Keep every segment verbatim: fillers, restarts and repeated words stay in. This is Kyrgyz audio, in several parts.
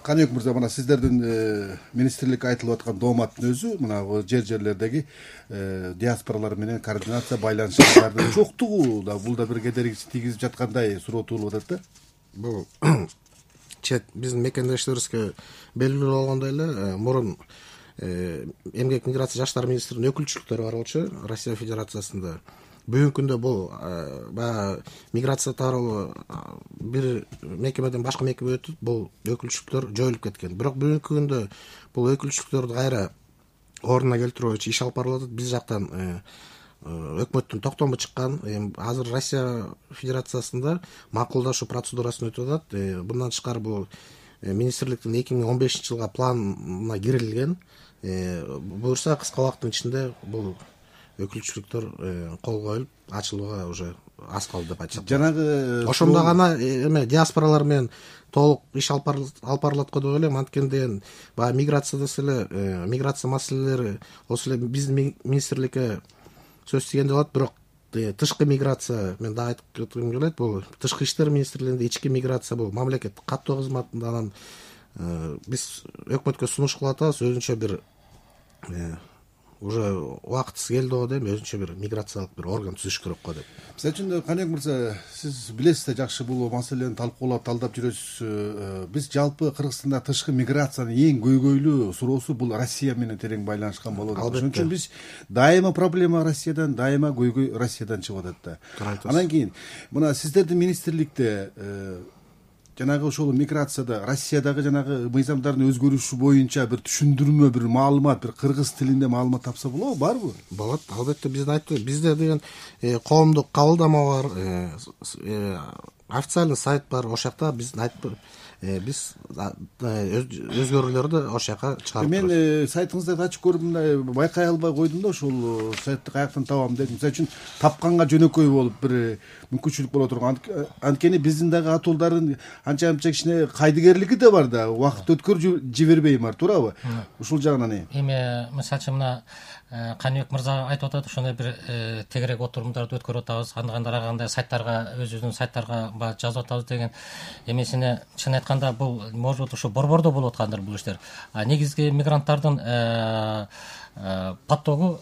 Каныбек мырза, мына сиздердин министрликке айтылып аткан дооматтын өзү мына жер жерлердеги диаспоралар менен координация байланыштардын жоктугу да бул да бир кедерги тийгизип жаткандай суроо туулуп атат да. Бул чет биздин мекендештерибизге белгилүү болгондой эле мурун эмгек миграция жаштар министринин өкүлчүлүктөрү бар болчу Россия Федерациясында. Бүгүнкү күндө бул баягы миграция тууралуу бир мекемеден башка мекемеге өтүп, бул өкүлчүлүктөр жоюлуп кеткен. Бирок бүгүнкү күндө бул өкүлчүлүктөрдү кайра ордуна келтирүү боюнча иш алып барылып атат. Биз жактан өкмөттүн токтому чыккан. Азыр Россия Федерациясында макулдашуу процедурасын өтүп атат. Bundan тышкары бул министрликтин эки миң он бешинчи жылга планына кирилген. Буюрса кыска убакыттын ичинде бул өкүлчүлүктөр кол коюлуп ачылууга уже аз калды деп айтсак. Жанагы ошондо гана эме диаспоралар менен толук иш алып барылат го деп ойлойм. Анткени деген баягы миграцияда эле миграция маселелери осы эле биздин министрликке сөз тийгендей болот. Бирок тышкы миграция мен дагы айтып кетким келет. Бул тышкы иштер министрлигинде ички миграция бул мамлекеттик каттоо кызматында. Анан биз өкмөткө сунуш кылып атабыз. Өзүнчө бир уже убактысы келди го дейм, өзүнчө бир миграциялык бир орган түзүш керек го деп. Мисалы үчүн Каныбек мырза, сиз билесиз да жакшы бул маселени талкуулап талдап жүрөсүз. Биз жалпы Кыргызстанда тышкы миграциянын эң көйгөйлүү суроосу бул Россия менен терең байланышкан болот. Ошон үчүн биз дайыма проблема Россиядан, дайыма көйгөй Россиядан чыгып атат да. Анан кийин мына сиздердин министрликте жанагы ошол миграцияда Россиядагы жанагы мыйзамдардын өзгөрүшү боюнча бир түшүндүрмө, бир маалымат, бир кыргыз тилинде маалымат тапса болобу, барбы? Болот, албетте. Бизде айтты, бизде деген коомдук кабылдама бар, официальный сайт бар. Ошол жакта биз айтып биз өзгөрүүлөрдү ошол жака чыгарып турабыз. Мен сайтыңыздарды ачып көрүп мындай байкай албай койдум да, ошол сайтты каяктан табам дедим. Мисалы үчүн тапканга жөнөкөй болуп бир мүмкүнчүлүк боло турган. Анткени биздин дагы атуулдардын анча-мынча кичине кайдыгерлиги да бар да, убакыт өткөрүп жибербей бар, туурабы? Ушул жагынан эми мисалы үчүн мына Каныбек мырза айтып атат, ошондой бир тегерек отурумдарды өткөрүп атабыз, андагы кандай сайттарга, өзүбүздүн сайттарга жазып атабыз деген эмесине чын айтканда бул может ошо борбордо болуп аткандыр бул иштер. Негизги мигранттардын потогу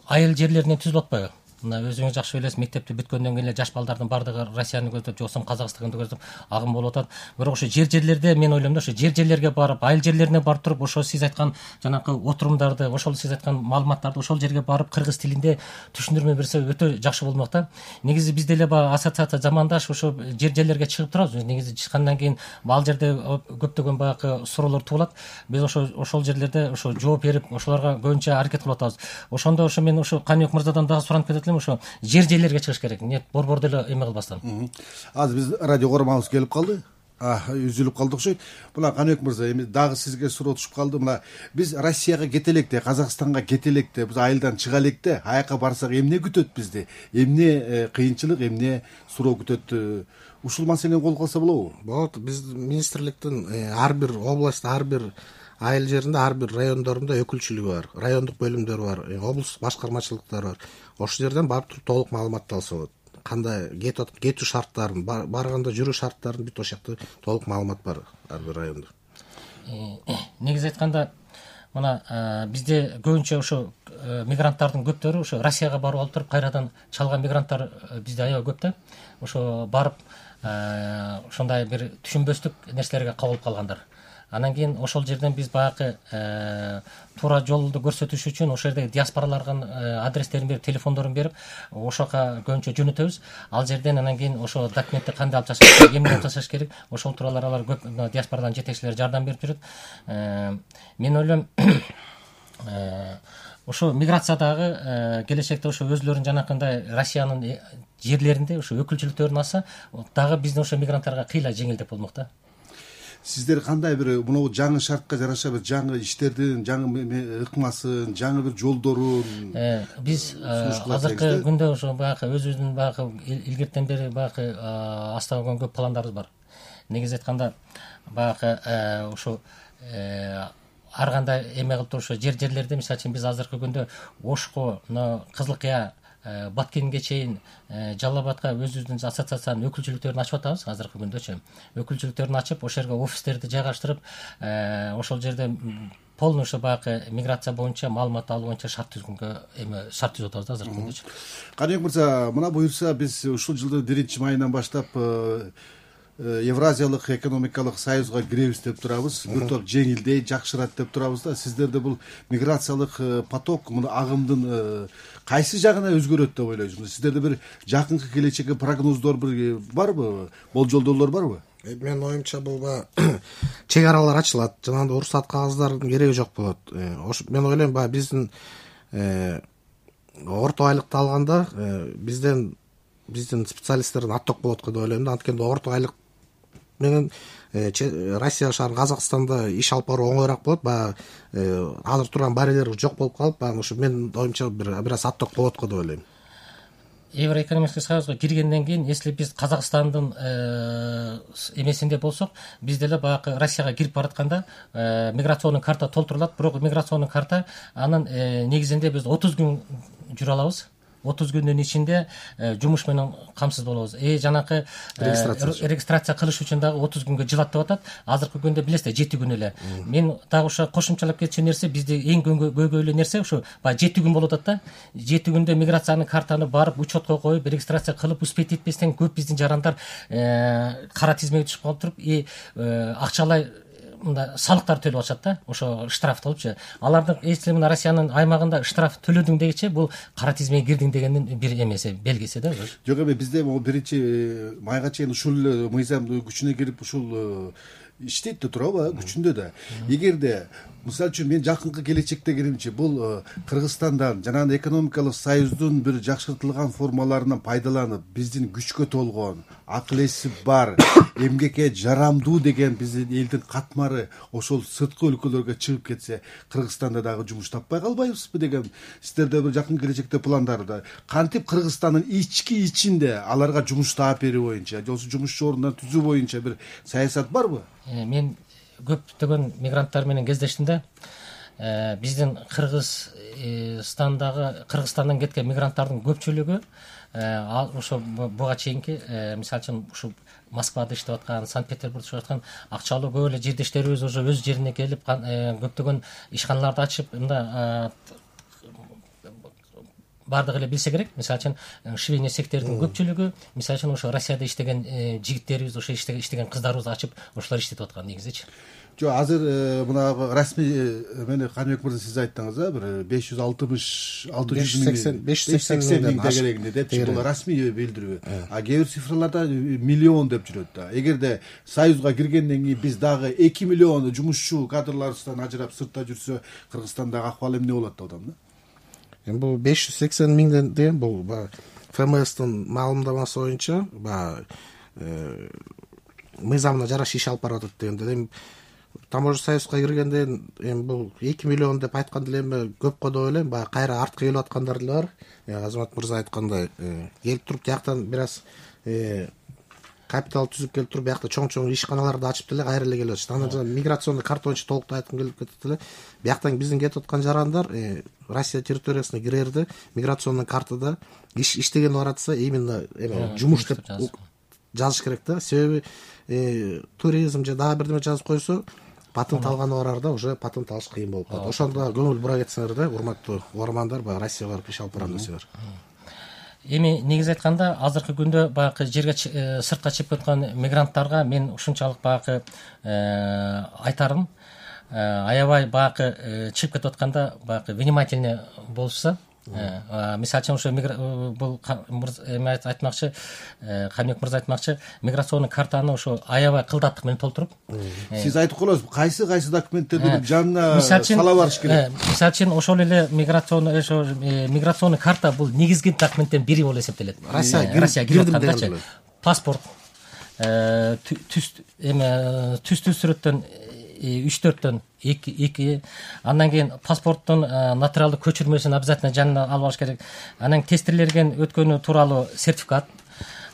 айыл жерлеринен түзүлүп атпайбы? Мына өзүңүз жакшы билесиз, мектепти бүткөндөн кийин эле жаш балдардын баардыгы Россияны көздөп, жоксо Казакстанды көздөп агым болуп атат. Бирок ошо жер жерлерде мен ойлойм да, ошо жер жерлерге барып, айыл жерлерине барып туруп, ошо сиз айткан жанакы отурумдарды, ошол сиз айткан маалыматтарды ошол жерге барып кыргыз тилинде түшүндүрмө берсе өтө жакшы болмок да. Негизи бизде эле баягы ассоциация замандаш ошо жер жерлерге чыгып турабыз. Негизи чыккандан кийин ал жерде көптөгөн баягы суроолор туулат. Биз ошо ошол жерлерде ошо жооп берип, ошолорго көбүнчө аракет кылып атабыз. Ошондо ошо мен ошо Каныбек мырзадан дагы суранып кетет элем, ошо жер жерлерге чыгыш керек. Нет, борбордо эле эме кылбастан. Азыр биз радио коромабыз келип калды. А, үзүлүп калды окшойт. Мына Каныбек мырза, эми дагы сизге суроо түшүп калды. Мына биз Россияга кете электе, Казакстанга кете электе, биз айылдан чыга электе, аяка барсак эмне күтөт бизди? Эмне кыйынчылык, эмне суроо күтөт? Ушул маселени колго алса болобу? Болот. Биз министрликтин ар бир область, ар бир айыл жеринде, ар бир райондорунда өкүлчүлүгү бар, райондук бөлүмдөр бар, облустук башкармачылыктар бар. Ошол жерден барып туруп толук маалыматты алса болот. Кандай кетүү шарттарын, барганда жүрүү шарттарын бүт ошол жакта толук маалымат бар ар бир райондо. Негизи айтканда, мына бизде көбүнчө ошо мигранттардын көптөрү ошо Россияга барып алып туруп кайрадан чалган мигранттар бизде аябай көп да. Ошо барып ошондой бир түшүнбөстүк нерселерге кабылып калгандар. Анан кийин ошол жерден биз баягы туура жолду көрсөтүш үчүн ошол жердеги диаспоралардын адрестерин берип, телефондорун берип, ошока көбүнчө жөнөтөбүз. Ал жерден анан кийин ошо документти кандай алып жасаш керек, эмне алып жасаш керек, ошол тууралуу алар көп диаспорадан жетекчилер жардам берип жүрөт. Мен ойлойм, ошо миграциядагы келечекте ошо өзлөрүн жанакындай Россиянын жерлеринде ошо өкүлчүлүктөрүн алса, дагы биздин ошо мигранттарга кыйла жеңилдеп болмок да. Сиздер кандай бир мынау жаңы шартка жараша бир жаңы иштердин, жаңы ыкмасын, жаңы бир жолдорун биз азыркы күндө ошо баягы өзүбүздүн баягы илгертен бери баягы астап койгон көп пландарыбыз бар. Негизи айтканда баягы ошо ар кандай эме кылып туруп ошо жер жерлерде, мисалы үчүн биз азыркы күндө Ошко, Кызыл Кыя Баткенге чейин Жалал Абадка өзүбүздүн ассоциациянын өкүлчүлүктөрүн ачып атабыз азыркы күндөчү. Өкүлчүлүктөрүн ачып, ошол жерге офистерди жайгаштырып, ошол жерде полный ошо баягы миграция боюнча маалымат алуу боюнча шарт түзгөнгө эме шарт түзүп атабыз азыркы күндөчү. Каныбек мырза, мына буюрса биз ушул жылдын биринчи майынан баштап Евразиялык экономикалык союзга киребиз деп турабыз. Бир топ жеңилдей, жакшырат деп турабыз да. Сиздерде бул миграциялык поток, мына агымдын кайсы жагына өзгөрөт деп ойлойсуңуз? Сиздерде бир жакынкы келечекке прогноздор бир барбы? Болжолдоолор барбы? Менин оюмча бул чек аралар ачылат, жанагындай уруксат кагаздардын кереги жок болот. Мен ойлойм, баягы биздин орто айлыкты алганда бизден биздин специалисттердин отток болот го деп ойлойм да. Анткени орто айлык менен Россия шаар Казакстанда иш алып баруу оңоюраак болот. Баягы азыр турган барьерлер жок болуп калып, баягы ушу менин оюмча бир бир аз отток болот го деп ойлойм. Евроэкономический союзга киргенден кийин, если биз Казакстандын эмесинде болсок, биз деле баягы Россияга кирип баратканда миграционный карта толтурулат, бирок миграционный карта анын негизинде биз отуз күн жүрө алабыз. отуз күндүн ичинде жумуш менен камсыз болобуз. Э жанакы регистрация кылыш үчүн дагы отуз күнгө жылат деп атат. Азыркы күндө билесиздер жети күн эле. Мен дагы ошо кошумчалап кетчү нерсе, бизде эң көйгөйлүү нерсе ушу баягы жети күн болуп атат да. жети күндө миграциянын картаны барып учетко коюп, регистрация кылып, успеть этпестен көп биздин жарандар кара тизмеге түшүп калып туруп, и акчалай мында салыктар төлөп атышат да, ошо штраф болупчу. Алардын если мына Россиянын аймагында штраф төлөдүң дегенче, бул кара тизмеге кирдиң дегендин бир эмеси, белгиси да. Жок эме, бизде могу биринчи майга чейин ушул мыйзам күчүнө кирип ушул иштейт да турабы, күчүндө да. Эгерде мисалы үчүн мен жакынкы келечекте келимчи, бул Кыргызстандан жанагы экономикалык союздун бир жакшыртылган формаларынан пайдаланып, биздин күчкө толгон, акыл эси бар, эмгекке жарамдуу деген биздин элдин катмары ошол сырткы өлкөлөргө чыгып кетсе, Кыргызстанда дагы жумуш таппай калбайбызбы деген сиздерде бир жакын келечекте пландарда. Кантип Кыргызстандын ички ичинде аларга жумуш таап берүү боюнча, же жумушчу орундар түзүү боюнча бир саясат барбы? Мен көптөгөн мигранттар менен кездештим да. Биздин Кыргызстандагы Кыргызстандан кеткен мигранттардын көпчүлүгү ошо буга чейинки, мисалы үчүн ушу Москвада иштеп аткан, Санкт-Петербургда иштеп аткан акчалуу көп эле жердештерибиз уже өз жерине келип, көптөгөн ишканаларды ачып, мында бардыгы эле билсе керек. Мисалы үчүн швейный сектордун көпчүлүгү, мисалы үчүн ошо Россияда иштеген жигиттерибиз, ошо иштеген кыздарыбыз ачып, ошолор иштетип аткан негизичи. Жок, азыр мына расмий мени Каныбек мырза сиз айттыңыз, а бир беш жүз алтымыш алты жүз миң беш жүз сексен миң дегерегинде депчи, бул расмий билдирүү. А кээ бир цифрларда миллион деп жүрөт да. Эгерде союзга киргенден кийин биз дагы эки миллион жумушчу кадрларыбыздан ажырап сыртта жүрсө, Кыргызстандагы акыбал эмне болот деп атам да. Эми бул беш жүз сексен миңден деген бул ФМСтин маалымдамасы боюнча баягы мыйзамына жараша иш алып барып атат дегенде, эми таможня союзга киргенде эми бул эки миллион деп айткан деле эми көп го деп ойлойм. Баягы кайра артка келип аткандар деле бар. Азамат мырза айткандай, келип туруп жактан бир аз капитал түзүп келип туруп, биякта чоң-чоң ишканаларды ачып деле кайра эле келип атышат. Анан жана миграционный карта боюнча толуктуу айткым келип кетет эле. Бияктан биздин кетип аткан жарандар Россия территориясына кирерде миграционный картада иштеген баратса, именно эме жумуш деп жазыш керек да. Себеби туризм же дагы бирдеме жазып койсо, патент алганы барар да, уже патент алыш кыйын болуп калат. Ошондо көңүл бура кетсеңер да, урматтуу угармандар, баягы Россияга барып иш алып барам десеңер. Эми негиз айтканда, азыркы күндө баягы жерге сыртка чыгып кеткен мигранттарга мен ушунчалык баягы айтарым, аябай баягы чыгып кетип атканда баягы внимательный болушса, мисалы үчүн ошо бул эме айтмакчы, Каныбек мырза айтмакчы, миграционный картаны ошо аябай кылдаттык менен толтуруп. Сиз айтып коесуз, кайсы кайсы документтерди жанына сала барыш керек? Мисалы үчүн ошол эле миграционный ошо миграционный карта бул негизги документтин бири болуп эсептелет. Россия кирип аткандачы. Паспорт, түз эме түздүү сүрөттөн үч төрттөн эки, андан кийин паспорттун нотариалдык көчүрмөсүн обязательно жанына алып алыш керек. Анан тестирлерген өткөнү тууралуу сертификат,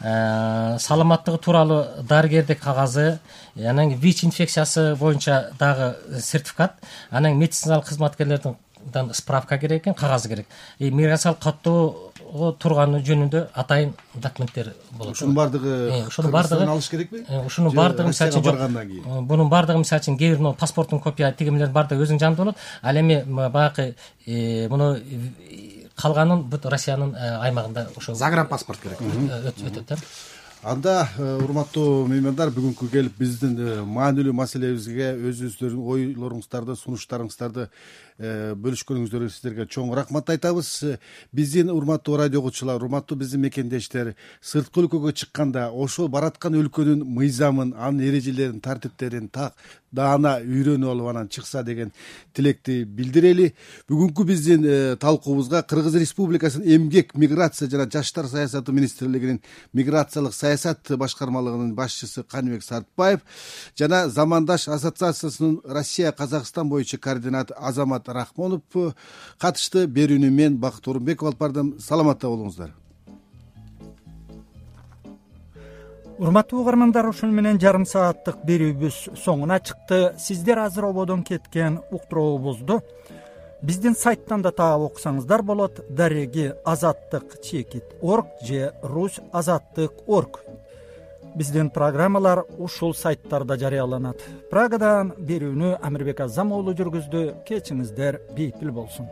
саламаттыгы тууралуу дарыгердик кагазы, анан ВИЧ инфекциясы боюнча дагы сертификат, анан медициналык кызматкерлердин миграциядан справка керек экен, кагазы керек. Миграциялык каттоого турганы жөнүндө атайын документтер болот. Ушунун бардыгы ушунун бардыгы алыш керекпи? Ушунун бардыгы мисалы үчүн баргандан кийин. Бунун бардыгы мисалы үчүн кээ бир паспорттун копия тигимелердин бардыгы өзүнүн жанында болот. Ал эми баягы муну калганын бүт Россиянын аймагында ошо загранпаспорт керек өтөт да. Анда урматтуу меймандар, бүгүнкү келип биздин маанилүү маселебизге өзүңүздөрдүн ойлоруңуздарды, сунуштарыңыздарды бөлүшкөнүңүздөргө сиздерге чоң рахмат айтабыз. Биздин урматтуу радио окуучулар, урматтуу биздин мекендештер, сырткы өлкөгө чыкканда ошол бараткан өлкөнүн мыйзамын, анын эрежелерин, тартиптерин так даана үйрөнүп алып анан чыкса деген тилекти билдирели. Бүгүнкү биздин талкуубузга Кыргыз Республикасынын эмгек, миграция жана жаштар саясаты министрлигинин миграциялык саясат башкармалыгынын башчысы Каныбек Сартбаев жана Замандаш ассоциациясынын Россия Казакстан боюнча координатор Азамат Рахмонов катышты. Берүүнү мен Бакыт Орунбеков алып бардым. Саламатта болуңуздар. Урматтуу угармандар, ушуну менен жарым сааттык берүүбүз соңуна чыкты. Сиздер азыр ободон кеткен уктуруубузду биздин сайттан да таап окусаңыздар болот. Дареги азаттык чекит орг же русь азаттык орг. Биздин программалар ушул сайттарда жарыяланат. Прагадан берүүнү Амирбек Азам уулу жүргүздү. Кечиңиздер бейпил болсун.